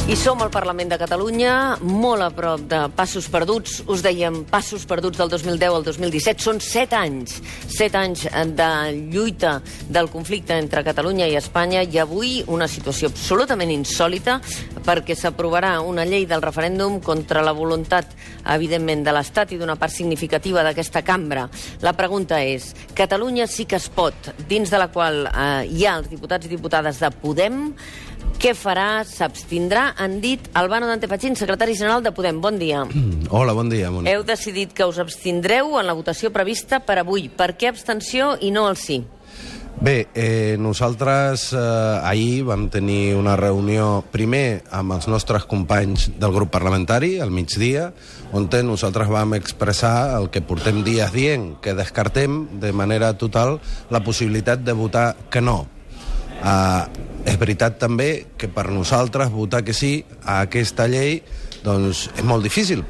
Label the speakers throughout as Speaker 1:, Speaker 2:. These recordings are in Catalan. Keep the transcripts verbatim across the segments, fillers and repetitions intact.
Speaker 1: I som al Parlament de Catalunya, molt a prop de passos perduts. Us dèiem passos perduts del dos mil deu al dos mil disset. Són set anys, set anys de lluita del conflicte entre Catalunya i Espanya i avui una situació absolutament insòlita perquè s'aprovarà una llei del referèndum contra la voluntat, evidentment, de l'Estat i d'una part significativa d'aquesta cambra. La pregunta és, Catalunya sí que es pot, dins de la qual eh, hi ha els diputats i diputades de Podem, què farà? S'abstindrà? Han dit Albano Dante Fachin, secretari general de Podem. Bon dia.
Speaker 2: Hola, bon dia, Mònica.
Speaker 1: Heu decidit que us abstindreu en la votació prevista per avui. Per què abstenció i no el sí?
Speaker 2: Bé, eh, nosaltres eh, ahir vam tenir una reunió primer amb els nostres companys del grup parlamentari, al migdia, on nosaltres vam expressar el que portem dies dient, que descartem de manera total la possibilitat de votar que no. Uh, és veritat també que per nosaltres votar que sí a aquesta llei doncs és molt difícil,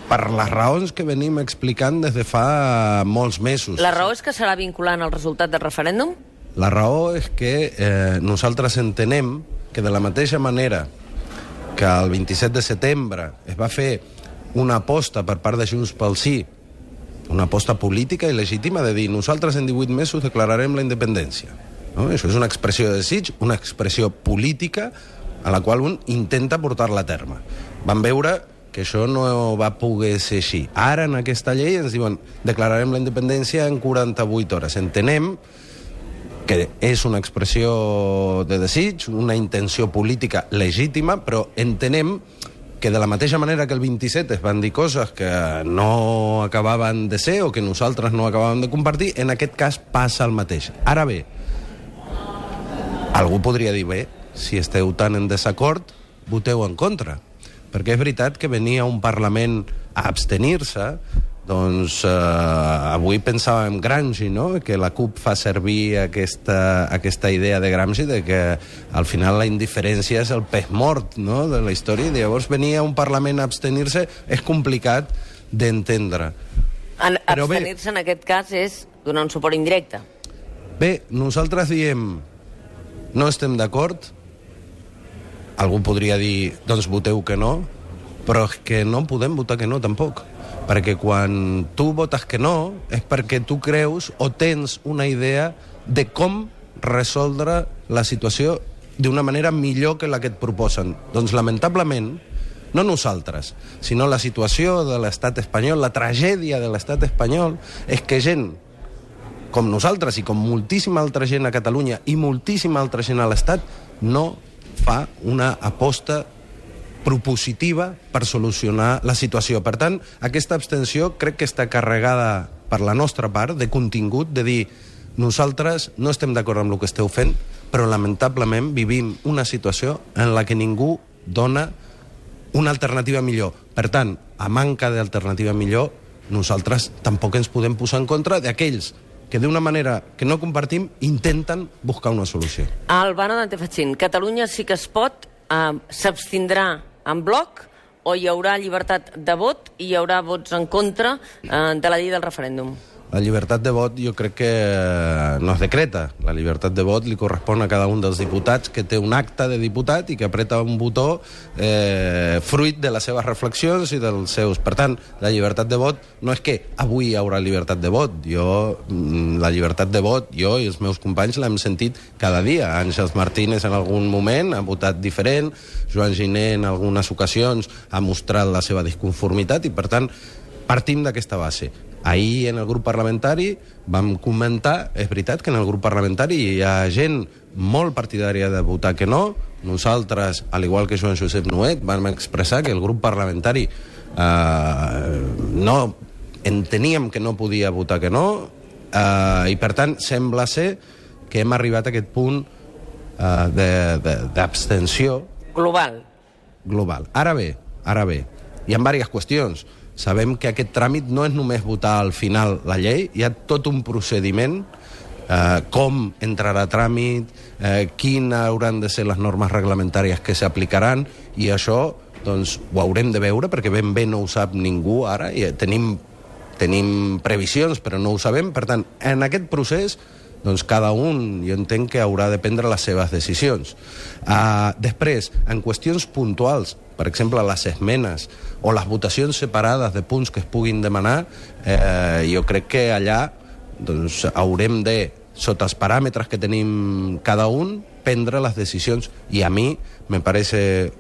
Speaker 2: per les raons que venim explicant des de fa molts mesos.
Speaker 1: La raó és que serà vinculant el resultat del referèndum?
Speaker 2: La raó és que eh, nosaltres entenem que de la mateixa manera que el vint-i-set de setembre es va fer una aposta per part de Junts pel Sí, una aposta política i legítima de dir nosaltres en divuit mesos declararem la independència. No? Això és una expressió de desig, una expressió política a la qual un intenta portar-la a terme. Vam veure que això no va poder ser així. Ara, en aquesta llei, ens diuen declararem la independència en quaranta-vuit hores. Entenem que és una expressió de desig, una intenció política legítima, però entenem que de la mateixa manera que el vint-i-set es van dir coses que no acabaven de ser o que nosaltres no acabàvem de compartir, en aquest cas passa el mateix. Ara bé, algú podria dir, bé, si esteu tan en desacord, voteu en contra. Perquè és veritat que venia un Parlament a abstenir-se, doncs eh, avui pensàvem Gramsci, no?, que la CUP fa servir aquesta, aquesta idea de Gramsci de que al final la indiferència és el pes mort, no?, de la història, i llavors venia un Parlament a abstenir-se, és complicat d'entendre.
Speaker 1: Abstenir-se en aquest cas és donar un suport indirecte.
Speaker 2: Bé, nosaltres diem no estem d'acord, algú podria dir, doncs voteu que no, però és que no podem votar que no, tampoc. Perquè quan tu votes que no, és perquè tu creus o tens una idea de com resoldre la situació d'una manera millor que la que et proposen. Doncs, lamentablement, no nosaltres, sinó la situació de l'estat espanyol, la tragèdia de l'estat espanyol, és que gent com nosaltres i com moltíssima altra gent a Catalunya i moltíssima altra gent a l'Estat, no fa una aposta propositiva per solucionar la situació. Per tant, aquesta abstenció crec que està carregada per la nostra part de contingut, de dir nosaltres no estem d'acord amb el que esteu fent, però lamentablement vivim una situació en la que ningú dona una alternativa millor. Per tant, a manca d'alternativa millor, nosaltres tampoc ens podem posar en contra d'aquells que d'una manera que no compartim intenten buscar una solució.
Speaker 1: Albano Dante Fachin, Catalunya sí que es pot, eh, s'abstindrà en bloc o hi haurà llibertat de vot i hi haurà vots en contra eh, de la llei del referèndum?
Speaker 2: La llibertat de vot jo crec que no es decreta. La llibertat de vot li correspon a cada un dels diputats que té un acte de diputat i que apreta un botó eh, fruit de les seves reflexions i dels seus... Per tant, la llibertat de vot no és que avui hi haurà llibertat de vot. Jo, la llibertat de vot, jo i els meus companys l'hem sentit cada dia. Àngels Martínez en algun moment ha votat diferent, Joan Giner en algunes ocasions ha mostrat la seva disconformitat i, per tant, partim d'aquesta base. Ahir en el grup parlamentari vam comentar, és veritat que en el grup parlamentari hi ha gent molt partidària de votar que no. Nosaltres, al igual que Joan Josep Nuet, vam expressar que el grup parlamentari eh, no enteníem que no podia votar que no eh, i per tant sembla ser que hem arribat a aquest punt eh, d'abstenció
Speaker 1: global.
Speaker 2: global. Ara bé, ara bé, hi ha diverses qüestions. Sabem que aquest tràmit no és només votar al final la llei, hi ha tot un procediment, eh, com entrarà a tràmit, eh, quines hauran de ser les normes reglamentàries que s'aplicaran, i això doncs, ho haurem de veure, perquè ben bé no ho sap ningú ara, i tenim, tenim previsions, però no ho sabem. Per tant, en aquest procés doncs cada un, jo entenc que haurà de prendre les seves decisions. Uh, després, en qüestions puntuals, per exemple, les esmenes o les votacions separades de punts que es puguin demanar, eh, jo crec que allà doncs, haurem de, sota els paràmetres que tenim cada un, prendre les decisions. I a mi me parece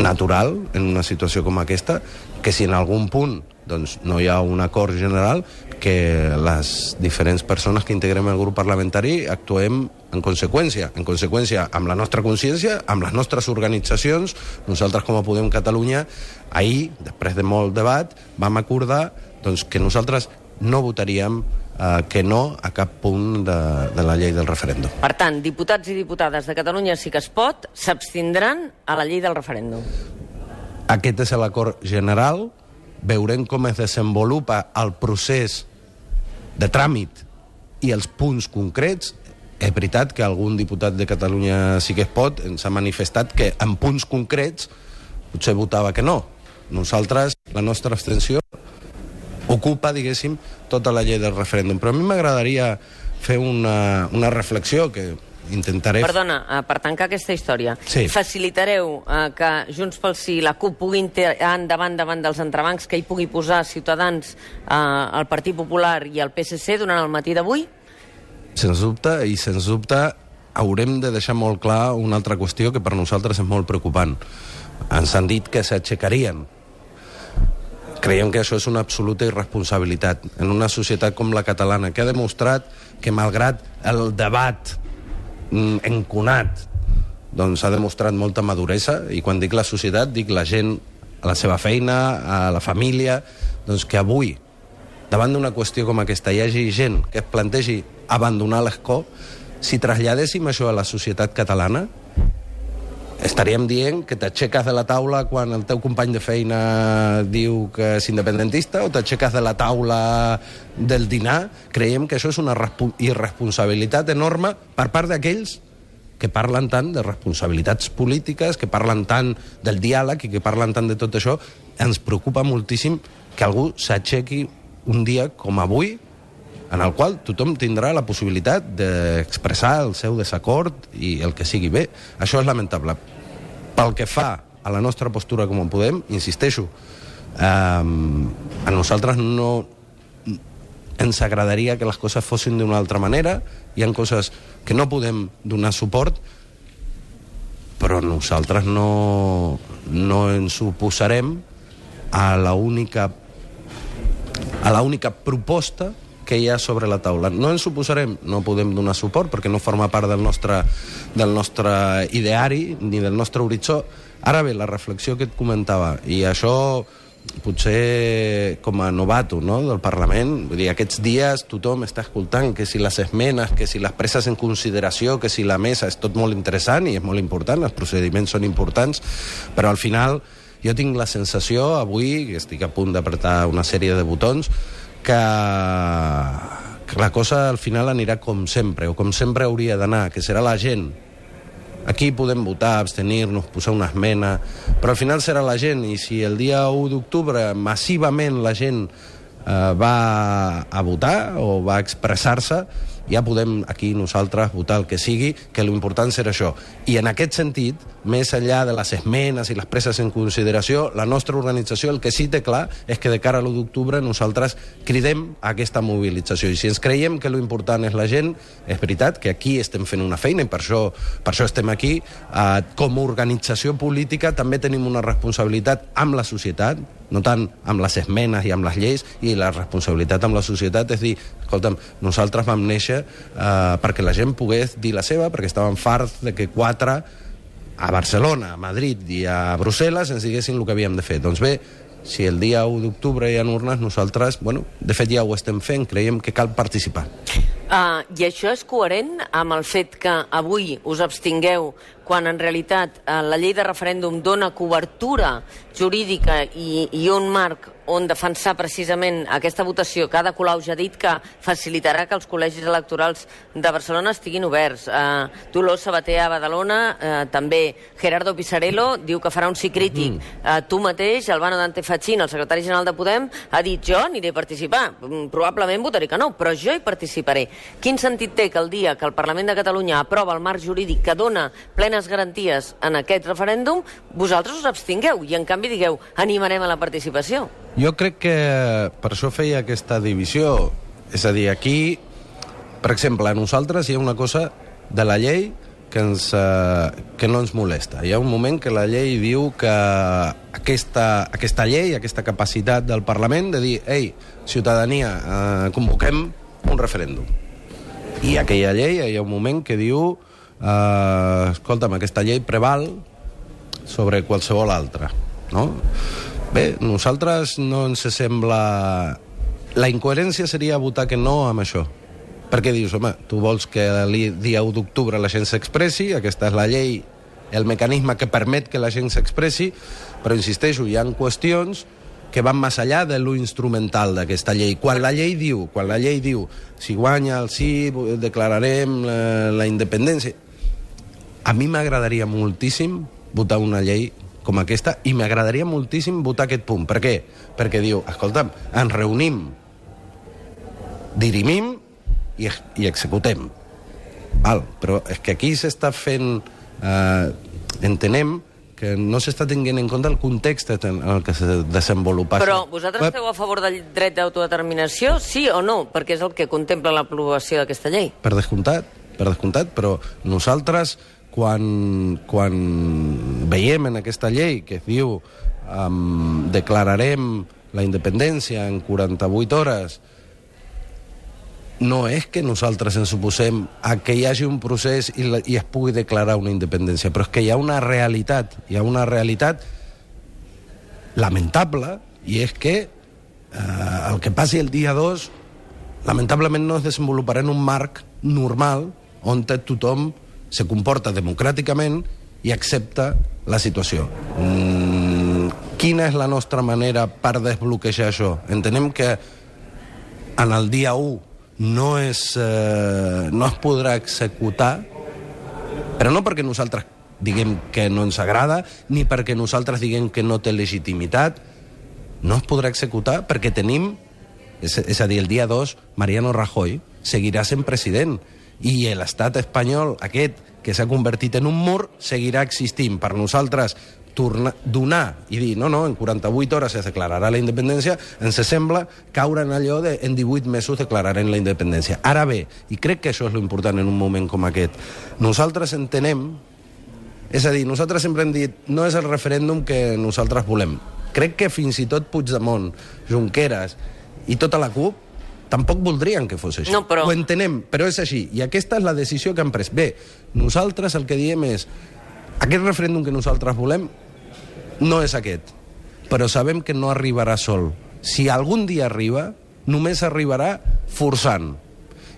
Speaker 2: natural, en una situació com aquesta, que si en algun punt doncs, no hi ha un acord general, que les diferents persones que integrem el grup parlamentari actuem en conseqüència. En conseqüència amb la nostra consciència, amb les nostres organitzacions. Nosaltres, com a Podem Catalunya, ahir, després de molt debat, vam acordar doncs, que nosaltres no votaríem eh, que no a cap punt de, de la llei del referèndum.
Speaker 1: Per tant, diputats i diputades de Catalunya Sí que es pot s'abstindran a la llei del referèndum.
Speaker 2: Aquest és l'acord general. Veurem com es desenvolupa el procés de tràmit i els punts concrets. És veritat que algun diputat de Catalunya Sí que es pot ens ha manifestat que en punts concrets potser votava que no. Nosaltres, la nostra abstenció ocupa, diguéssim, tota la llei del referèndum. Però a mi m'agradaria fer una, una reflexió que intentaré...
Speaker 1: Perdona, uh, per tancar aquesta història,
Speaker 2: sí.
Speaker 1: Facilitareu uh, que Junts pel Sí i la CUP puguin tirar endavant davant dels entrebancs que hi pugui posar Ciutadans, uh, el Partit Popular i el P S C durant el matí d'avui?
Speaker 2: Sens dubte, i sens dubte haurem de deixar molt clar una altra qüestió que per nosaltres és molt preocupant. Ens han dit que s'aixecarien. Creiem que això és una absoluta irresponsabilitat en una societat com la catalana, que ha demostrat que malgrat el debat enconat, doncs ha demostrat molta maduresa, i quan dic la societat dic la gent a la seva feina, a la família, doncs que avui, davant d'una qüestió com aquesta, hi hagi gent que es plantegi abandonar l'escó. Si traslladéssim això a la societat catalana, estaríem dient que t'aixeques de la taula quan el teu company de feina diu que és independentista, o t'aixeques de la taula del dinar. Creiem que això és una irresponsabilitat enorme per part d'aquells que parlen tant de responsabilitats polítiques, que parlen tant del diàleg i que parlen tant de tot això. Ens preocupa moltíssim que algú s'aixequi un dia com avui, en el qual tothom tindrà la possibilitat d'expressar el seu desacord i el que sigui bé. Això és lamentable. Pel que fa a la nostra postura com a Podem, insisteixo, eh, a nosaltres no ens agradaria que les coses fossin d'una altra manera. Hi ha coses que no podem donar suport, però nosaltres no, no ens oposarem a la única, a la única proposta que hi ha sobre la taula. No ens oposarem, no podem donar suport perquè no forma part del nostre, del nostre ideari ni del nostre horitzó. Ara bé, la reflexió que et comentava, i això potser com a novato, no?, del Parlament, vull dir, aquests dies tothom està escoltant que si les esmenes, que si les preses en consideració, que si la mesa, és tot molt interessant i és molt important, els procediments són importants, però al final jo tinc la sensació avui, que estic a punt d'apretar una sèrie de botons, que, que la cosa al final anirà com sempre, o com sempre hauria d'anar, que serà la gent. Aquí podem votar, abstenir-nos, posar una esmena, però al final serà la gent, i si el dia u d'octubre massivament la gent eh, va a votar o va a expressar-se, ja podem aquí nosaltres votar el que sigui, que l'important serà això. I en aquest sentit, més enllà de les esmenes i les preses en consideració, la nostra organització el que sí té clar és que de cara a l'u d'octubre nosaltres cridem a aquesta mobilització. I si ens creiem que l'important és la gent, és veritat que aquí estem fent una feina i per això, per això estem aquí. Eh, com a organització política també tenim una responsabilitat amb la societat, no tant amb les esmenes i amb les lleis, i la responsabilitat amb la societat és dir, escolta'm, nosaltres vam néixer eh, perquè la gent pogués dir la seva, perquè estàvem farts de que quatre a Barcelona, a Madrid i a Brussel·les ens diguessin el que havíem de fer. Doncs bé, si el dia u d'octubre hi ha urnes, nosaltres, bueno, de fet ja ho estem fent, creiem que cal participar.
Speaker 1: Uh, I això és coherent amb el fet que avui us abstingueu quan en realitat uh, la llei de referèndum dona cobertura jurídica i, i un marc on defensar precisament aquesta votació, que Ada Colau ja ha dit que facilitarà que els col·legis electorals de Barcelona estiguin oberts. Uh, Dolors Sabater a Badalona, uh, també Gerardo Pisarello diu que farà un sí crític. Mm. Uh, tu mateix, Albano Dante Fachin, el secretari general de Podem, ha dit jo aniré a participar. Probablement votaré que no, però jo hi participaré. Quin sentit té que el dia que el Parlament de Catalunya aprova el marc jurídic que dona plenes garanties en aquest referèndum, vosaltres us abstingueu i, en canvi, digueu, animarem a la participació?
Speaker 2: Jo crec que per això feia aquesta divisió. És a dir, aquí, per exemple, a nosaltres hi ha una cosa de la llei que, ens, eh, que no ens molesta. Hi ha un moment que la llei diu que aquesta, aquesta llei, aquesta capacitat del Parlament de dir, ei, ciutadania, eh, convoquem un referèndum. I aquella llei, hi ha un moment que diu, eh, escolta'm, aquesta llei preval sobre qualsevol altra, no? Bé, nosaltres no ens sembla... La incoherència seria votar que no amb això. Perquè dius, home, tu vols que el dia u d'octubre la gent s'expressi, aquesta és la llei, el mecanisme que permet que la gent s'expressi, però, insisteixo, hi ha qüestions que van més enllà de lo instrumental d'aquesta llei. Quan la llei diu, quan la llei diu, si guanya el sí, declararem la, la independència... A mi m'agradaria moltíssim votar una llei com aquesta i m'agradaria moltíssim votar aquest punt. Per què? Perquè diu, escolta'm, ens reunim, dirimim i, i executem. Val, però és que aquí s'està fent... Eh, entenem que no s'està tenint en compte el context en el que se desenvolupa.
Speaker 1: Però vosaltres esteu a favor del dret d'autodeterminació, sí o no? Perquè és el que contempla l'aprovació d'aquesta llei.
Speaker 2: Per descomptat, per descomptat, però nosaltres, quan, quan veiem en aquesta llei que es diu um, declararem la independència en quaranta-vuit hores, no és que nosaltres ens oposem a que hi hagi un procés i, la, i es pugui declarar una independència, però és que hi ha una realitat, hi ha una realitat lamentable, i és que eh, el que passi el dia dos lamentablement no es desenvoluparà en un marc normal on tothom se comporta democràticament i accepta la situació. Mm, quina és la nostra manera per desbloquejar això? Entenem que en el dia u no, és, eh, no es podrà executar, però no perquè nosaltres diguem que no ens agrada, ni perquè nosaltres diguem que no té legitimitat. No es podrà executar perquè tenim, és, és a dir, el dia dos, Mariano Rajoy seguirà sent president, i l'estat espanyol, aquest, que s'ha convertit en un mur, seguirà existint. Per nosaltres, tornar, donar i dir, no, no, en quaranta-vuit hores es declararà la independència, ens sembla caure en allò de en divuit mesos declararem la independència. Ara bé, i crec que això és l'important en un moment com aquest, nosaltres entenem, és a dir, nosaltres sempre hem dit, no és el referèndum que nosaltres volem. Crec que fins i tot Puigdemont, Junqueras i tota la CUP tampoc voldrien que fos així.
Speaker 1: No, però...
Speaker 2: Ho entenem, però és així. I aquesta és la decisió que han pres. Bé, nosaltres el que diem és aquest referèndum que nosaltres volem no és aquest, però sabem que no arribarà sol. Si algun dia arriba, només arribarà forçant.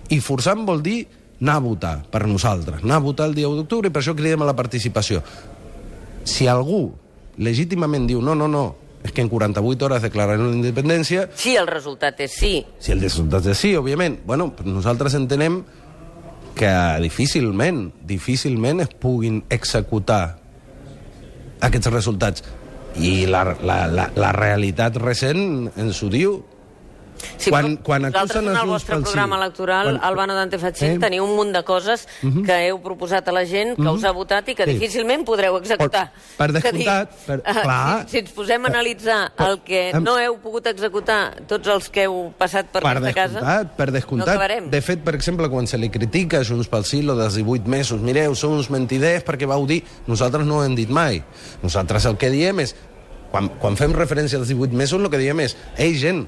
Speaker 2: I forçant vol dir anar a votar per nosaltres, anar a votar el dia u d'octubre, i per això cridem a la participació. Si algú legítimament diu no, no, no, és que en quaranta-vuit hores declararem la independència...
Speaker 1: Sí, el resultat és sí.
Speaker 2: Si el resultat és sí, òbviament. Bueno, nosaltres entenem que difícilment, difícilment es puguin executar aquests resultats. I la, la, la, la realitat recent ens ho diu.
Speaker 1: Sí,
Speaker 2: quan, quan
Speaker 1: vosaltres en el vostre programa electoral, quan... Albano Dante Fachin, eh? teniu un munt de coses uh -huh. que heu proposat a la gent, que uh -huh. us ha votat i que sí. difícilment podreu executar.
Speaker 2: Per, per descomptat, per,
Speaker 1: uh,
Speaker 2: clar...
Speaker 1: Si, si ens posem a analitzar per, el que per, no heu pogut executar tots els que heu passat per, per aquesta casa,
Speaker 2: per descomptat.
Speaker 1: No acabarem.
Speaker 2: De fet, per exemple, quan se li critica a Junts pel Sí lo dels divuit mesos, mireu, són uns mentiders perquè vau dir, nosaltres no ho hem dit mai. Nosaltres el que diem és, quan, quan fem referència als divuit mesos, el que diem és, ei, gent,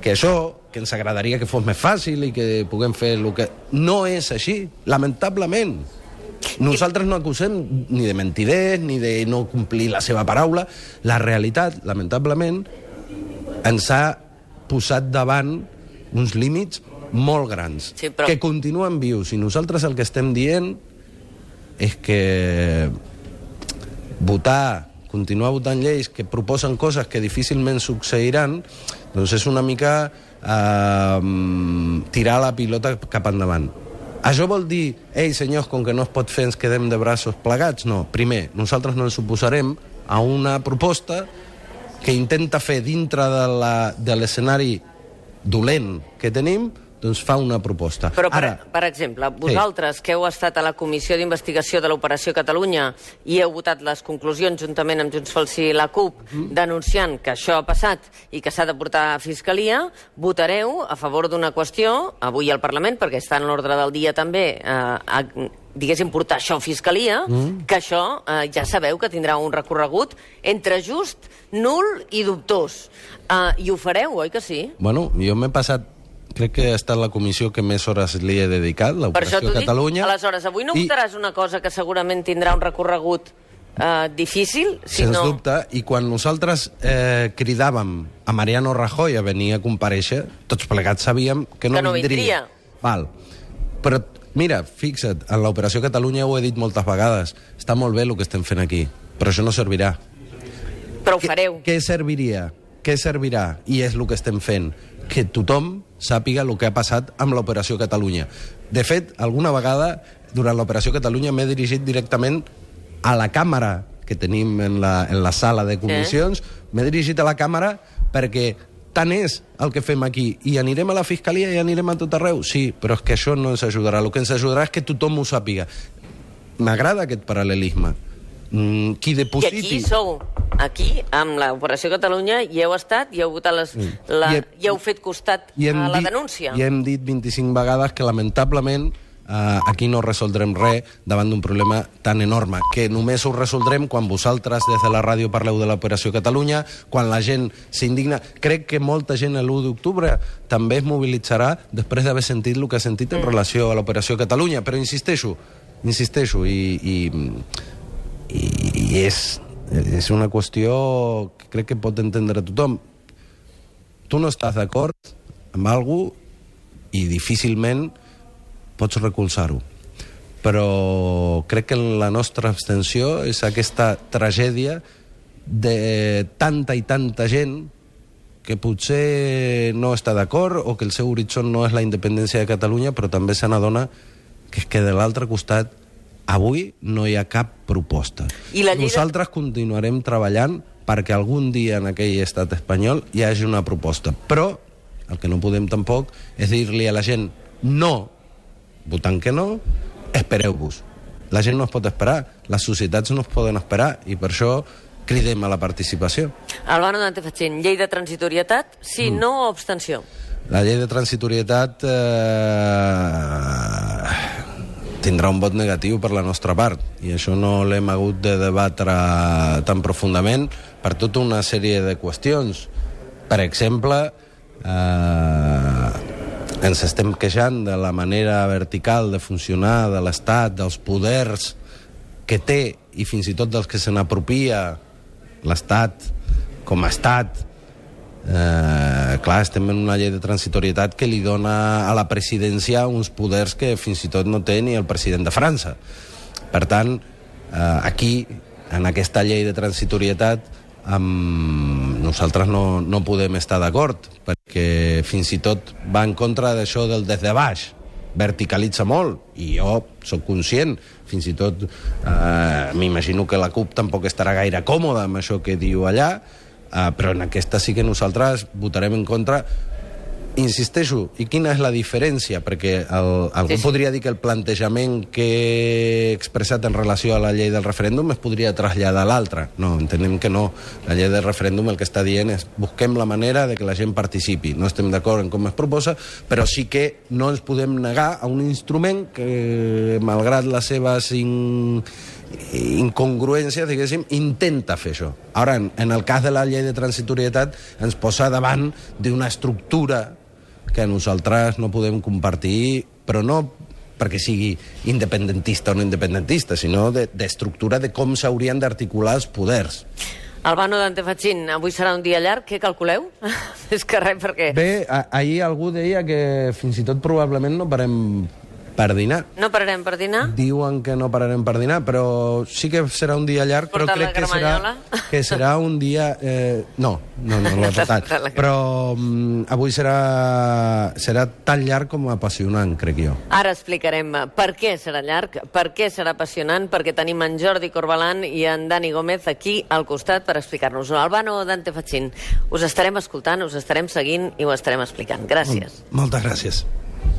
Speaker 2: que això, que ens agradaria que fos més fàcil i que puguem fer el que... No és així, lamentablement. Nosaltres no acusem ni de mentiders, ni de no complir la seva paraula. La realitat, lamentablement, ens ha posat davant uns límits molt grans,
Speaker 1: sí, però...
Speaker 2: que continuen vius. I nosaltres el que estem dient és que votar, continuar votant lleis que proposen coses que difícilment succeiran, doncs és una mica eh, tirar la pilota cap endavant. Això vol dir, ei, senyors, com que no es pot fer ens quedem de braços plegats? No. Primer, nosaltres no ens oposarem a una proposta que intenta fer dintre de l'escenari dolent que tenim doncs fa una proposta.
Speaker 1: Però, per,
Speaker 2: Ara,
Speaker 1: per exemple, vosaltres sí. que heu estat a la Comissió d'Investigació de l'Operació Catalunya i heu votat les conclusions juntament amb Junts pel Sí i la CUP, mm. denunciant que això ha passat i que s'ha de portar a Fiscalia, votareu a favor d'una qüestió, avui al Parlament, perquè està en l'ordre del dia també, eh, a, diguéssim, portar això a Fiscalia, mm. que això eh, ja sabeu que tindrà un recorregut entre just, nul i dubtós. Uh, I ho fareu, oi que sí?
Speaker 2: Bueno, jo m'he passat, crec que ha estat la comissió que més hores li he dedicat, l'Operació Catalunya.
Speaker 1: Dic, aleshores, avui no i... votaràs una cosa que segurament tindrà un recorregut uh, difícil? Si
Speaker 2: Sens
Speaker 1: no...
Speaker 2: dubte, i quan nosaltres eh, cridàvem a Mariano Rajoy a venir a comparèixer, tots plegats sabíem que no,
Speaker 1: que no
Speaker 2: vindria.
Speaker 1: vindria.
Speaker 2: Val. Però, mira, fixa't, en l'Operació Catalunya ho he dit moltes vegades, està molt bé el que estem fent aquí, però això no servirà.
Speaker 1: Però ho fareu.
Speaker 2: Què serviria? Què servirà? I és el que estem fent. Que tothom sàpiga el que ha passat amb l'Operació Catalunya. De fet, alguna vegada, durant l'Operació Catalunya, m'he dirigit directament a la càmera que tenim en la, en la sala de comissions, sí. m'he dirigit a la càmera perquè tant és el que fem aquí. I anirem a la Fiscalia i anirem a tot arreu? Sí, però és que això no ens ajudarà. El que ens ajudarà és que tothom ho sàpiga. M'agrada aquest paral·lelisme. Mm, qui depositi...
Speaker 1: I aquí sou, aquí, amb l'Operació Catalunya, hi heu estat, i heu votat les, la, I, he, i heu fet costat a la
Speaker 2: dit,
Speaker 1: denúncia.
Speaker 2: I hem dit vint-i-cinc vegades que, lamentablement, eh, aquí no resoldrem res davant d'un problema tan enorme, que només ho resoldrem quan vosaltres, des de la ràdio, parleu de l'Operació Catalunya, quan la gent s'indigna. Crec que molta gent l'u d'octubre també es mobilitzarà després d'haver sentit el que ha sentit en mm. relació a l'Operació Catalunya. Però insisteixo, insisteixo, i... i i és, és una qüestió que crec que pot entendre tothom. Tu no estàs d'acord amb alguna cosa i difícilment pots recolzar-ho. Però crec que la nostra abstenció és aquesta tragèdia de tanta i tanta gent que potser no està d'acord o que el seu horitzó no és la independència de Catalunya, però també se n'adona que és que de l'altre costat avui no hi ha cap proposta. I la Nosaltres de... continuarem treballant perquè algun dia en aquell estat espanyol hi hagi una proposta. Però el que no podem tampoc és dir-li a la gent no, votant que no, espereu-vos. La gent no es pot esperar, les societats no es poden esperar i per això cridem a la participació.
Speaker 1: Albano Dante Fachin, llei de transitorietat, sí, mm. no o abstenció?
Speaker 2: La llei de transitorietat... Eh... tindrà un vot negatiu per la nostra part i això no l'hem hagut de debatre tan profundament per tota una sèrie de qüestions. Per exemple, eh, ens estem queixant de la manera vertical de funcionar de l'Estat, dels poders que té i fins i tot dels que se n'apropia l'Estat com a Estat. Eh, clar, estem en una llei de transitorietat que li dona a la presidència uns poders que fins i tot no té ni el president de França. Per tant, eh, aquí, en aquesta llei de transitorietat, amb... nosaltres no, no podem estar d'acord, perquè fins i tot va en contra d'això del des de baix, verticalitza molt, i jo sóc conscient, fins i tot eh, m'imagino que la CUP tampoc estarà gaire còmoda amb això que diu allà. Uh, però en aquesta sí que nosaltres votarem en contra. Insisteixo, i quina és la diferència? Perquè el, algú sí, sí. podria dir que el plantejament que he expressat en relació a la llei del referèndum es podria traslladar a l'altra. No, entenem que no. La llei del referèndum el que està dient és busquem la manera de que la gent participi. No estem d'acord en com es proposa, però sí que no ens podem negar a un instrument que, malgrat les seves in... incongruències, diguéssim, intenta fer això. Ara, en, en el cas de la llei de transitorietat, ens posa davant d'una estructura que nosaltres no podem compartir, però no perquè sigui independentista o no independentista, sinó d'estructura de, de com s'haurien d'articular els poders.
Speaker 1: Albano Dante Fachin, avui serà un dia llarg, què calculeu? És que res, perquè...
Speaker 2: Bé, a, ahir algú deia que fins i tot probablement no parem per dinar.
Speaker 1: No pararem per dinar?
Speaker 2: Diuen que no pararem per dinar, però sí que serà un dia llarg, però crec que serà, que serà un dia... Eh, no, no, no l'he portat. Però um, avui serà, serà tan llarg com apassionant, crec jo.
Speaker 1: Ara explicarem per què serà llarg, per què serà apassionant, perquè tenim en Jordi Corbalan i en Dani Gómez aquí al costat per explicar-nos-ho. Albano Dante Fachin, us estarem escoltant, us estarem seguint i ho estarem explicant. Gràcies.
Speaker 2: Moltes gràcies.